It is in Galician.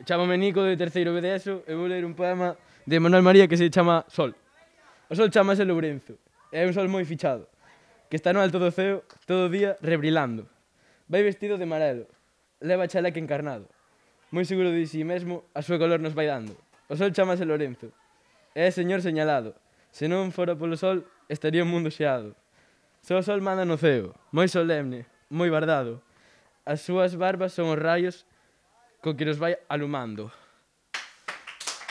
Chámame Nico de terceiro B de ESO e vou ler un poema de Manuel María que se chama Sol. O sol chamase Lourenzo, é un sol moi fichado, que está no alto do ceo todo o día rebrilando. Vai vestido de amarelo, leva chaleque encarnado, moi seguro de si mesmo a súa color nos vai dando. O sol chamase Lourenzo, é señor señalado, se non fora polo sol estaría o mundo xeado. Só o sol manda no ceo, moi solemne, moi bardado. As súas barbas son os raios co que nos vai alumando.